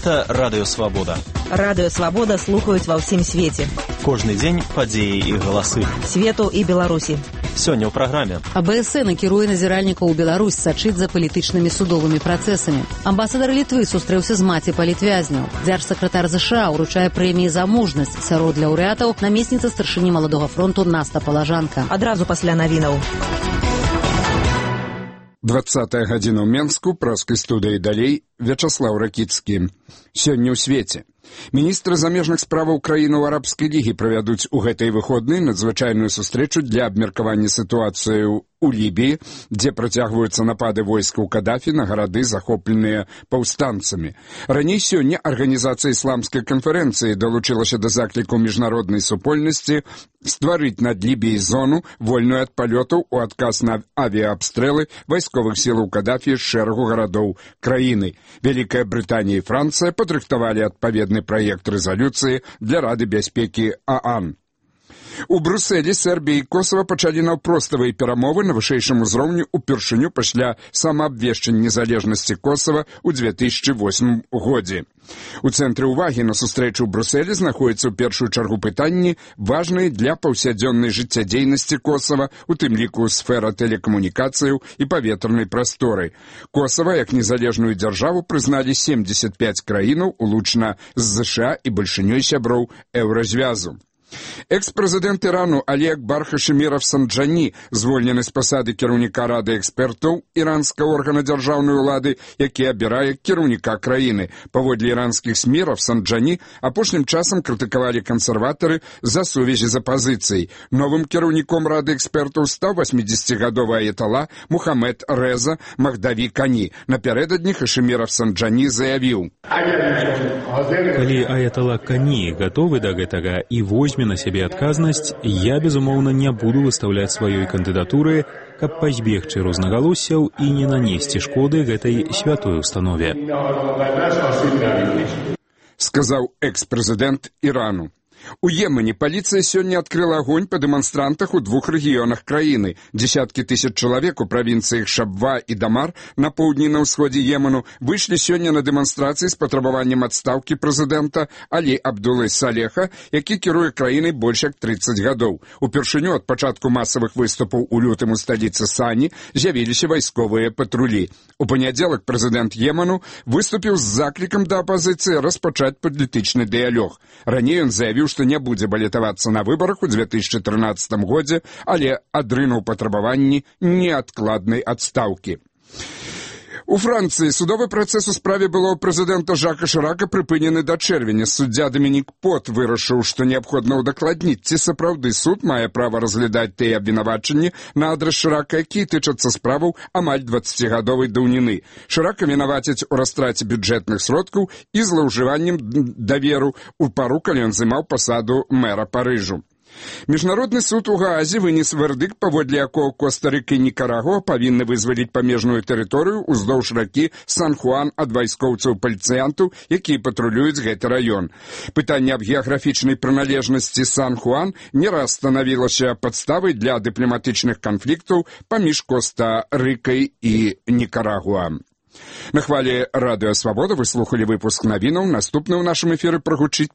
Гэта Радыё Свабода. Радыё Свабода слухаюць ва ўсім свеце. Кожны дзень падзеі і галасы. Свету і Беларусі. Сёння ў праграме. АБСН накіруе назіральнікаў у Беларусь сачыць за палітычнымі судовымі працэсамі. Амбасадар Літвы сустрэўся з маці палітвязняў. Дзяржсакратар ЗША ўручае прэміі за мужнасць. Сярод лаўрэатаў намесніца старшыні Маладога фронту Наста Палажанка. Адразу пасля навінаў. 20-я гадзіна ў Менску, праскай студыі далей, Вячаслаў Ракіцкі. Сёння ў свеце. Міністры замежных справаў краінаў Арабскай лігі правядуць у гэтай выходнай надзвычайную сустрэчу для абмеркавання сітуацыі у Лібіі, дзе працягваюцца напады войскаў Кадафі на гарады, захопленыя паўстанцамі. Раней сёння Арганізацыя ісламскай канферэнцыі далучылася да закліку міжнароднай супольнасці стварыць над Лібіяй зону, вольную ад палётаў у адказ на авіаабстрэлы вайсковых сілаў Кадафі з шэрагу гарадоў краіны. Вялікая Брытанія і Францыя падрыхтавалі адпаведны праект рэзалюцыі для Рады бяспекі ААН. У Брусэлі Сербія і Косава пачалі наўпроставыя перамовы на вышэйшым узроўні упершыню пасля самаабвешчання незалежнасці Косава ў 2008 годзе. У цэнтры ўвагі на сустрэчу ў Брусэлі знаходзяцца ў першую чаргу пытанні, важныя для паўсядзённай жыццядзейнасці Косава, у тым ліку сфера тэлекамунікацыяў і паветранай прасторы. Косава як незалежную дзяржаву прызналі 75 краінаў, улучна з ЗША і бальшынёй сяброў Еўразвязу. Экс-прэзідэнт Ірану Алі Акбар Хашеміров Санджані, звольнены з пасады кіраўніка Рады экспертаў іранскага органа дзяржаўнай улады, які абірае кіраўніка краіны. Паводле іранскіх СМІ Санджані апошнім часам крытыкавалі кансерватары за сувязі з апазіцыяй. Новым кіраўніком Рады экспертаў стаў 80-гадовы аятала Мухаммед Реза Махдаві Кані. Напярэдадні Хашеміров Санджані заявіў: «Калі аятала Кані гатовы да гэтага і возьме на сябе адказнасць, я, безумоўна, не буду выстаўляць сваёй кандыдатуры, каб пазбегчы рознагалоссяў і не нанесці шкоды гэтай святой установе», сказаў экс-прэзідэнт Ірану. У Йемене паліцыя сёння адкрыла агонь па дэманстрантах у двух рэгіёнах краіны. Дзесяткі тысяч чалавек у правінцыях Шабва і Дамар на поўдні на ўсходзе Йемену выйшлі сёння на дэманстрацыі з патрабаваннем адстаўкі прэзідэнта Алі Абдулы Салеха, які кіруе краінай больш як 30 гадоў. Упершыню ад пачатку масавых выступаў у лютым у сталіцы Сані з'явіліся вайсковыя патрулі. У панядзелак прэзідэнт Йемену выступіў з заклікам да апазіцыі распачаць палітычны дыялог. Раней ён заявіў, што не будзе балетавацца на выбарах у 2013 годзе, але адрынуў патрабаванні неадкладнай адстаўкі. У Францыі судовы працэс у справе былого прэзідэнта Жака Шырака прыпынены да чэрвеня. Суддзя Дамінік Пот вырашыў, што неабходна ўдакладніць, ці сапраўды суд мае права разглядаць тыя абвінавачанні на адрас Шырака, якія тычацца справаў амаль 20-гадовай даўніны. Шырака вінавацяць у растраце бюджэтных сродкаў і злоўжываннем даверу у пару, калі ён займаў пасаду мэра Парыжу. Міжнародны суд у Гаазе вынес вердыкт, паводле якога Коста-Рыка і Нікарагуа павінны вызваліць памежную тэрыторыю ўздоўж ракі Сан-Хуан ад вайскоўцаў-паліцыянтаў, якія патрулююць гэты раён. Пытанне аб геаграфічнай прыналежнасці Сан-Хуан не раз станавілася падставай для дыпламатычных канфліктаў паміж Коста-Рыкай і Нікарагуа. На хвалі Радыё Свабода вы слухалі выпуск навінаў. Наступны ў нашым эфіры прагучыць